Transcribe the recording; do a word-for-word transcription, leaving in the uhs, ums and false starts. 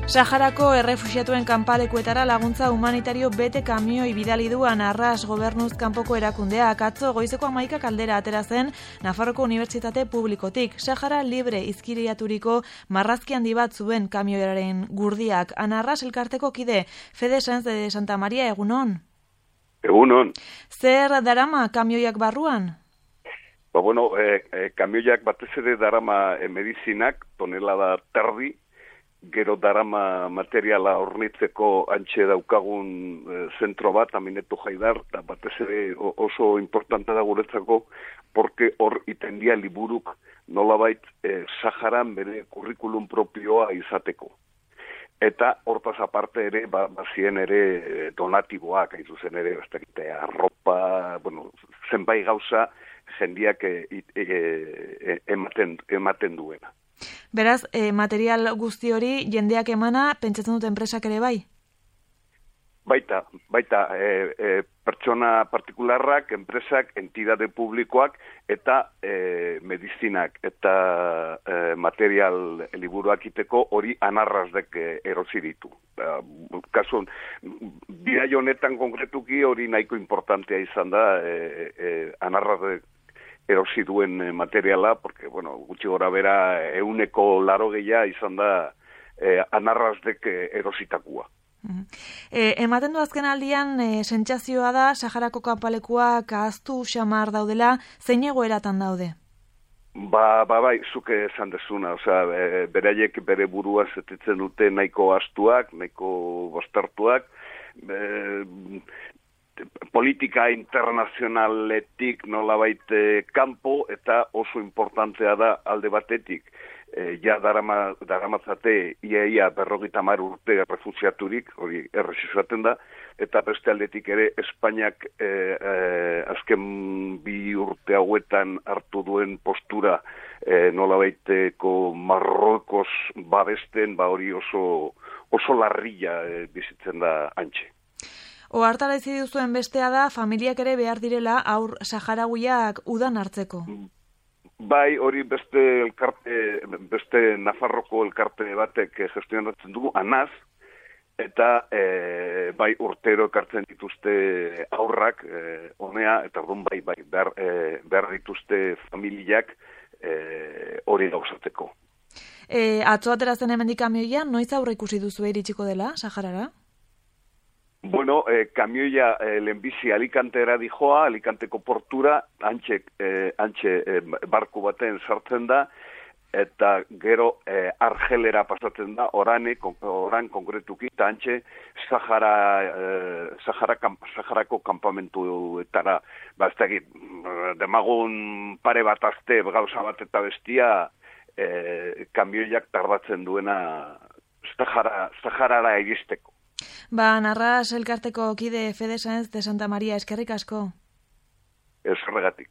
Saharako errefuxiatuen kanpalekuetara laguntza humanitario bete kamioi bidali du Anarras gobernuz kanpoko erakundeak. Atzo goizeko hamaikak aldera atera zen Nafarroko Unibertsitate Publikotik. Sahara libre izkiriaturiko marrazki handi bat zuen kamioiaren gurdiak. Anarras elkarteko kide, Fede Sáenz de Santa Maria, egunon? Egunon. Zer darama kamioiak barruan? Ba, bueno, eh, eh, kamioiak batez ere darama eh, medizinak, tonelada terdi, gero darama materiala hornitzeko antxe daukagun e, zentro bat, Amineto Jaidar, eta batez ere oso importante da guretzako, porque hor itendia liburuk nolabait e, Saharan bere kurrikulum propioa izateko. Eta hortaz aparte ere, ba, bazien ere donatiboak, hain zuzen ere, bastakite, arropa, bueno, zenbait gauza jendiak e, e, ematen, ematen duena. Beraz, eh, material guzti hori jendeak emana, pentsatzen dut enpresak ere bai? Baita, baita, e, e, pertsona partikularrak, enpresak, entidade publikoak, eta e, medizinak, eta e, material liburuak iteko hori Anarrasdek e, erosi ditu. E, kasun, bidai honetan konkretuki hori nahiko importantea izan da, e, e, Anarrasdek erosi duen materiala, porque, bueno, gutxi gora bera euneko laro gehia izan da eh, Anarrasdek erositakua. Mm. E, ematen du azken aldian, e, sentsazioa da, Saharako kanpalekuak ahaztu xamar daudela, zein egoeratan daude? Ba, ba, bai, zuke esan dezuna, osea, e, beraiek bere burua zetitzen dute nahiko astuak, nahiko bostartuak, e, politika internazionaletik nolabait eh, kanpo eta oso importantea da alde batetik. Eh, ja darama, daramatzate ia ia berrogeita hamar urte refusiaturik, hori errezizaten da, eta beste aldetik ere Espainiak eh, eh, azken bi urte hauetan hartu duen postura eh, nolabaiteko Marruekos babesten, ba hori oso, oso larrilla eh, bizitzen da antxe. Ohartarazi duzuen bestea da, familiak ere behar direla aur saharauiak udan hartzeko. Bai, hori beste elkarte, beste Nafarroko elkarte batek gestionatzen dugu, Anaz, eta e, bai urtero ekartzen dituzte aurrak, e, honea, eta orduan bai, bai, behar, e, behar dituzte familiak e, hori gauzatzeko. E, atzo aterazen hemendik kamioia, noiz aurre ikusi duzu iritsiko dela, Saharara? Bueno, eh, kamioia eh, lehenbizi Alicantera dijoa, Alicanteko portura, antxe, eh, antxe eh, barku baten sartzen da, eta gero eh, Argelera pasatzen da, orane, oran konkretuki, eta antxe Sahara, eh, Sahara, Saharako kampamentuetara, baztegit, demagun pare bat azte, gauza bat eta bestia, eh, kamioiak tardatzen duena Sahara, Saharara iristeko. Ba, Anarras elkarteko kide Fede Sáenz de Santa Maria, eskerrik asko. Ez horregatik.